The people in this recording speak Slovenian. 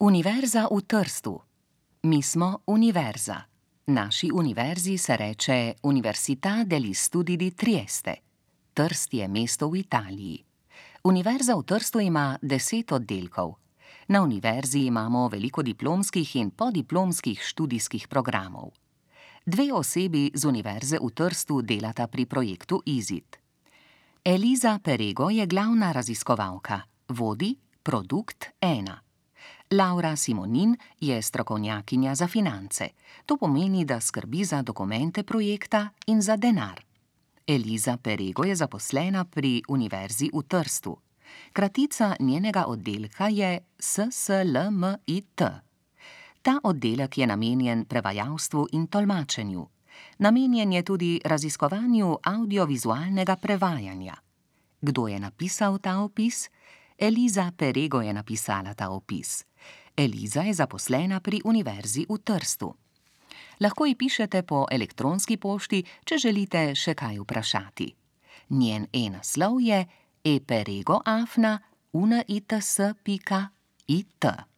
Univerza v Trstu. Mi smo univerza. Naši univerzi se reče Università degli Studi di Trieste. Trst je mesto v Italiji. Univerza v Trstu ima 10 oddelkov. Na univerzi imamo veliko diplomskih in podiplomskih študijskih programov. 2 osebi z Univerze v Trstu delata pri projektu IZIT. Eliza Perego je glavna raziskovalka, vodi Produkt 1. Laura Simonin je strokovnjakinja za finance. To pomeni, da skrbi za dokumente projekta in za denar. Eliza Perego je zaposlena pri Univerzi v Trstu. Kratica njenega oddelka je SSLMIT. Ta oddelek je namenjen prevajalstvu in tolmačenju. Namenjen je tudi raziskovanju avdiovizualnega prevajanja. Kdo je napisal ta opis? Eliza Perego je napisala ta opis. Eliza je zaposlena pri Univerzi v Trstu. Lahko ji pišete po elektronski pošti, če želite še kaj vprašati. Njen e-naslov je eperego@units.it.